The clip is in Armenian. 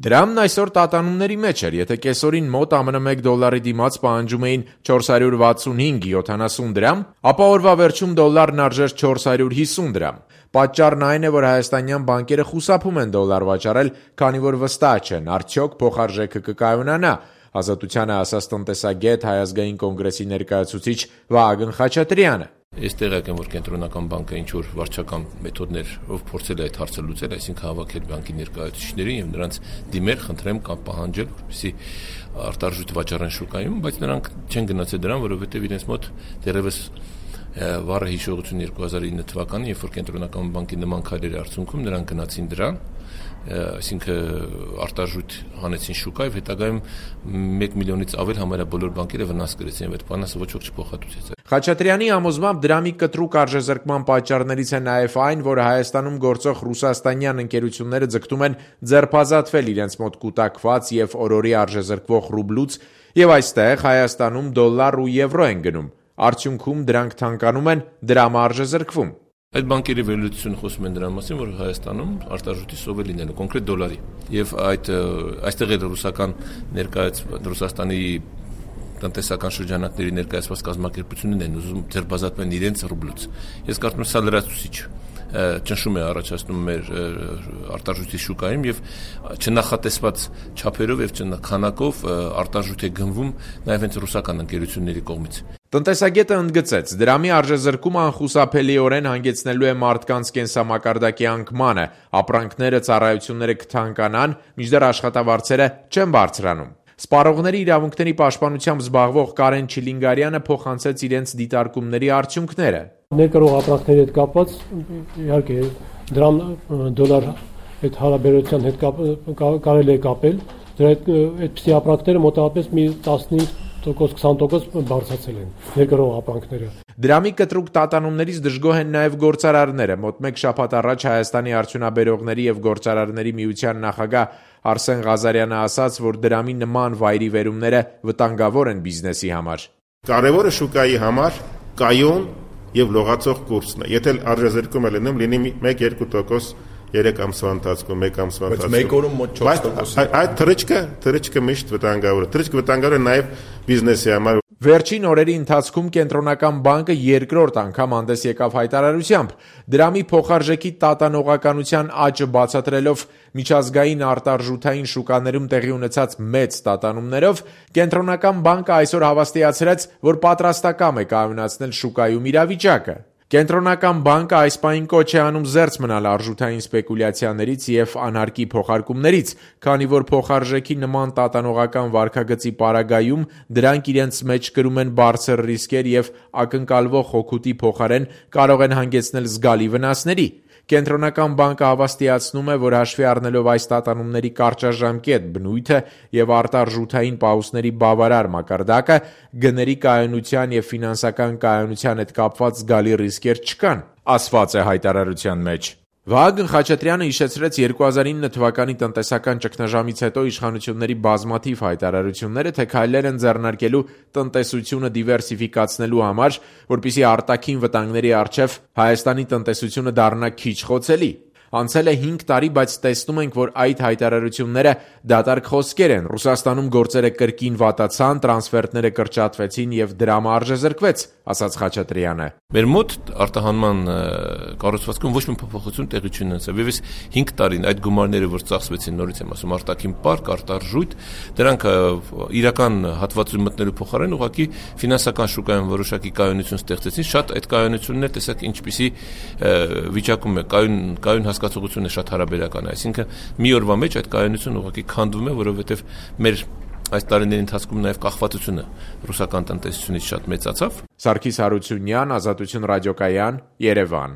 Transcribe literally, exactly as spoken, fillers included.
Դրամն այսօր տատանումների մեջ էր, եթե կեսօրին մոտ ԱՄՆ մեկ դոլարի դիմաց պահանջում էին չորս հարյուր վաթսունհինգ յոթանասուն դրամ, ապա օրվա վերջում դոլարն արժեր չորս հարյուր հիսուն դրամ։ Պատճառն այն է, որ հայաստանյան բանկերը խուսափում են դոլար վաճառել, քանի որ վստահ չեն, արդյոք փոխարժեքը կկայունանա, Ազատությանը ասաց տնտեսագետ Հայ ազգային կոնգրեսի ներկայացուցիչ Վահագն Խաչատրյանը։ Ես տեղյակ եմ, որ կենտրոնական բանկը ինչ-որ վարչական մեթոդներով փորձել է այդ հարցը լուծել, այսինքն հավաքել բանկի ներկայացուցիչներին եւ նրանց դիմել, խնդրեմ կամ պահանջել, որպեսզի արտարժույթ վաճառեն շուկայում, բայց նրանք չեն գնացել դրան, որովհետեւ իրենց մոտ դեռևս վառը հիշողություն երկու հազար ինը թվականին, երբ որ կենտրոնական բանկի նման քայլերի արդյունքում նրանք գնացին դրան, այսինքն արտարժույթ հանեցին շուկա եւ հետագայում մեկ միլիոնից ավել համարյա բոլոր բանկերը վնաս կրեցին եւ այդ բանը ոչ ոք չփոխհատուցեց։ Խաչատրյանի համոզմամբ դրամի կտրուկ արժեզրկման պատճառներից է նաեւ այն, որ Հայաստանում գործող ռուսաստանյան ընկերությունները ձգտում են ձերբազատվել իրենց մոտ կուտակված եւ օրորի արժեզրկվող ռուբլուց եւ այստեղ Հայաստանում դոլար ու եվրո են գնում։ Արդյունքում դրանք թանկանում են, դրամը արժեզրկվում։ Այդ բանկերի վերլուծությունը խոսում են դրա մասին, որ Հայաստանում արտարժույթի սով է լինելու կոնկրետ դոլարի եւ այդ այստեղ է ռուսական ներկայաց Ռուսաստանի տնտեսական շրջանակների ներկայացված կազմակերպություններն են ուզում ձերբազատվել իրենց ռուբլուց։ Ես կարծում եմ սա լրացուցիչ ճնշում է առաջացնում մեր արտարժույթի շուկայում եւ չնախատեսված չափերով եւ չնախանակով արտարժույթ է գնվում նաեւ հենց ռուսական ընկերությունների կողմից։ Տնտեսագետը ընդգծեց, դրամի արժեզրկումը անխուսափելիորեն հանգեցնելու է մարդկանց կենսամակարդակի անկմանը, ապրանքները, ծառայությունները կթանկանան, մինչդեռ աշխատավարձերը չեն բարձրանում։ Սպառողների իրավունքների պաշտպանությամբ զբաղվող Կարեն Չիլինգարյանը փոխանցեց իրենց դիտարկումների արդյունքները։ Ներկրող ապրանքների հետ կապված իհարկե դրամ դոլար այդ հարաբերության հետ կարելի է կապել, դրա այդպիսի ապրանքները մոտավորապես մի տասնհինգ տոկոս քսան տոկոս բարձրացել են ներկրող ապրանքները։ Դրամի կտրուկ տատանումներից դժգոհ են նաև գործարարները։ Մոտ մեկ շաբաթ առաջ Հայաստանի արդյունաբերողների եւ գործարարների միության նախագահ Արսեն Ղազարյանը ասաց, որ դրամի նման վայրի վերումները վտանգավոր են բիզնեսի համար։ Կարևորը շուկայի համար կայուն եւ լողացող կուրսն է։ Եթե արժեզրկումը լինում, լինի մեկ-երկու տոկոս երեք ամսվա ընթացքում, մեկ ամսվա ընթացքում։ Բայց մեկ օրում մոտ չորս տոկոս։ Այդ թռիչքը, թռիչքը միշտ վտանգավոր է։ Թռիչքը վտանգավոր է նաև բիզնեսի համար։ Վերջին օրերի ընթացքում կենտրոնական բանկը երկրորդ անգամ հանդես եկավ հայտարարությամբ, դրամի փոխարժեքի տատանողականության աճը բացատրելով միջազգային արտարժութային շուկաներում տեղի ունեցած մեծ տատանումներով, կենտրոնական բանկը այսօր հավաստիացրեց, որ պատրաստակամ է կայունացնել շուկայում իրավիճակը։ Կենտրոնական բանկը այս պահին կոչ է անում զերծ մնալ արժութային սպեկուլյացիաներից եւ անհարկի փոխարկումներից, քանի որ փոխարժեքի նման տատանողական վարքագծի պարագայում դրանք իրենց մեջ կրում են բարձր ռիսկեր եւ ակնկալվող հօգուտի փոխարեն կարող են հանգեցնել զգալի վնասների։ Կենտրոնական բանկը հավաստիացնում է, որ հաշվի առնելով այս տատանումների կարճաժամկետ բնույթը եւ արտարժութային պահուստների բավարար մակարդակը, գների կայունության եւ ֆինանսական կայունության հետ կապված զգալի ռիսկեր չկան, ասված է հայտարարության մեջ։ Վահագն Խաչատրյանը հիշեցրեց երկու հազար ինը թվականի տնտեսական ճգնաժամից հետո իշխանությունների բազմաթիվ հայտարարությունները, թե քայլեր են ձեռնարկելու տնտեսությունը դիվերսիֆիկացնելու համար, որպեսզի արտաքին վտանգների առջև Հայաստանի տնտեսությունը դառնա քիչ խոցելի։ Անցել է հինգ տարի, բայց տեսնում ենք, որ այդ հայտարարությունները դատարկ խոսքեր են։ Ռուսաստանում գործերը կրկին վատացան, տրանսֆերտները կրճատվեցին եւ դրամը արժեզրկվեց, ասաց Խաչատրյանը։ Մեր մոտ արտահանման կառուցվածքում ոչ մի փոփոխություն տեղի չունեցավ։ Եվս հինգ տարին այդ գումարները, որ ծախսվեցին, նորից եմ ասում, արտաքին պարկ, արտարժույթ, դրանք իրական հատվածում մտնելու փոխարեն ուղղակի ֆինանսական շուկայում որոշակի կայունություն ստեղծեցին։ Շատ այդ կայունությունները տեսակ ինչպիսի վիճակում է, կայուն կայուն հասկացողությունը շատ հարաբերական է, այսինքն մի օրվա մեջ այդ կայունությունը ուղղակի քանդվում է, որովհետև մեր այս տարիների ընթացքում նաև կախվածությունը ռուսական տնտեսությունից շատ մեծացավ։ Սարգիս Հարությունյան, Ազատություն ռադիոկայան, Երևան։